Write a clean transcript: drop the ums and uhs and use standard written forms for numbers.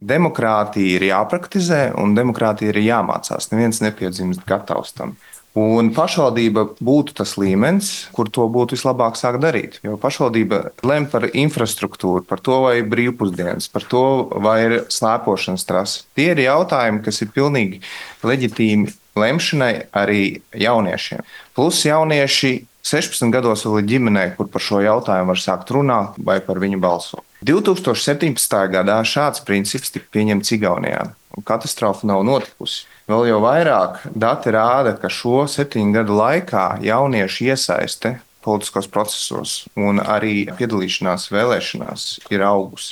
Demokrātija ir jāpraktizē un demokrātija ir jāmācās. Neviens nepiedzimst gatavs tam. Un pašvaldība būtu tas līmenis, kur to būtu vislabāk sākt darīt. Jo pašvaldība lem par infrastruktūru, par to, vai ir brīvpusdienas, par to, vai ir slēpošanas trase. Tie ir jautājumi, kas ir pilnīgi leģitīmi lemšanai arī jauniešiem. Plus jaunieši 16 gados vēl ir ģimenē, kur par šo jautājumu var sākt runāt vai par viņu balsot. 2017. gadā šāds princips tika pieņemts Igaunijā, un katastrofa nav notikusi. Vēl jau vairāk dati rāda, ka šo 7 gadu laikā jauniešu iesaiste politiskos procesos un arī piedalīšanās vēlēšanās ir augusi.